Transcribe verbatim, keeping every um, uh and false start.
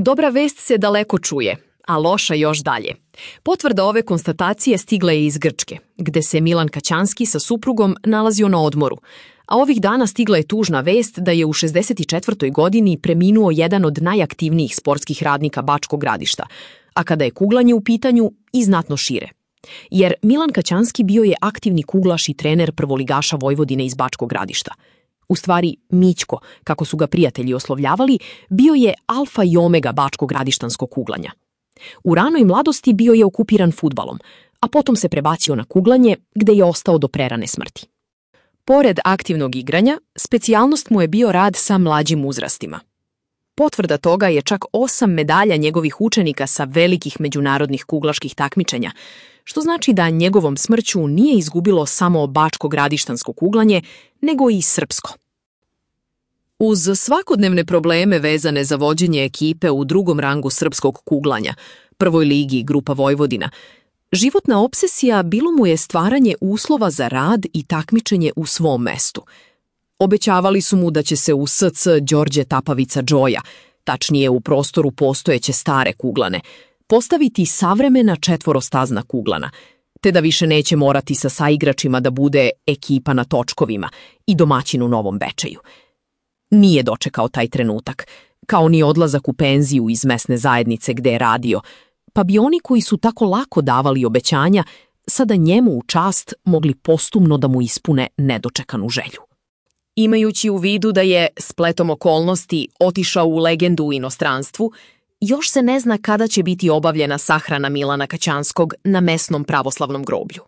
Dobra vest se daleko čuje, a loša još dalje. Potvrda ove konstatacije stigla je iz Grčke, gde se Milan Kaćanski sa suprugom nalazio na odmoru, a ovih dana stigla je tužna vest da je u šezdeset četvrtoj godini preminuo jedan od najaktivnijih sportskih radnika Bačkog Gradišta, a kada je kuglanje u pitanju i znatno šire. Jer Milan Kaćanski bio je aktivni kuglaš i trener prvoligaša Vojvodine iz Bačkog Gradišta. U stvari, Mićko, kako su ga prijatelji oslovljavali, bio je alfa i omega bačko-gradištanskog kuglanja. U ranoj mladosti bio je okupiran fudbalom, a potom se prebacio na kuglanje, gde je ostao do prerane smrti. Pored aktivnog igranja, specijalnost mu je bio rad sa mlađim uzrastima. Potvrda toga je čak osam medalja njegovih učenika sa velikih međunarodnih kuglaških takmičenja, što znači da njegovom smrću nije izgubilo samo bačko-gradištansko kuglanje, nego i srpsko. Uz svakodnevne probleme vezane za vođenje ekipe u drugom rangu srpskog kuglanja, prvoj ligi Grupa Vojvodina, životna obsesija bilo mu je stvaranje uslova za rad i takmičenje u svom mestu. Obećavali su mu da će se u S C Đorđe Tapavica Džoja, tačnije u prostoru postojeće stare kuglane, postaviti savremena četvorostazna kuglana, te da više neće morati sa saigračima da bude ekipa na točkovima i domaćin u Novom Bečeju. Nije dočekao taj trenutak, kao ni odlazak u penziju iz mesne zajednice gde je radio, pa bi oni koji su tako lako davali obećanja sada njemu u čast mogli postumno da mu ispune nedočekanu želju. Imajući u vidu da je, spletom okolnosti, otišao u legendu u inostranstvu, još se ne zna kada će biti obavljena sahrana Milana Kaćanskog na mesnom pravoslavnom groblju.